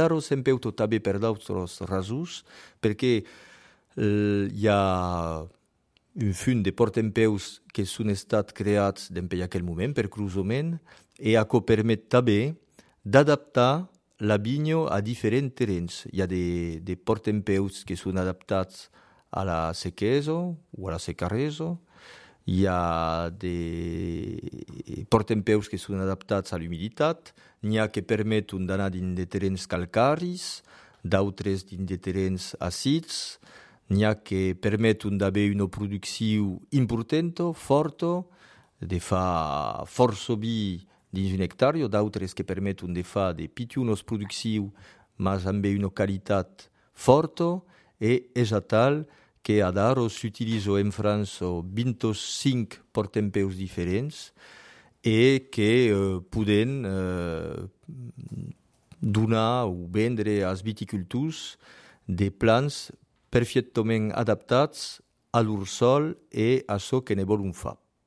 Daro sempeuto també per d'autres rasos, perquè hi ha un fund de portempeus que són estats creats en aquell moment per cruzament e això permet també d'adaptar la vinya a diferents terrenys. Hi ha de portempeus que són adaptats a la sequesa o a la secaresa, hi ha de portempeus que són adaptats a l'humiditat, n'hi ha que permeten d'anar dins de terrenys calcaris, d'altres dins de terrenys àcids, n'hi ha que permeten d'haver una producció important, forta, de fa força vi dins un hectàrea, d'altres que permeten de fer de pitjors produccions, mas amb una qualitat forta, e és tal que ad ara s'utilitza en França 25 portempeus diferents e que poden donar o vendre als viticultors de plants perfectament adaptats a l'ursol e a això que ne volen fer.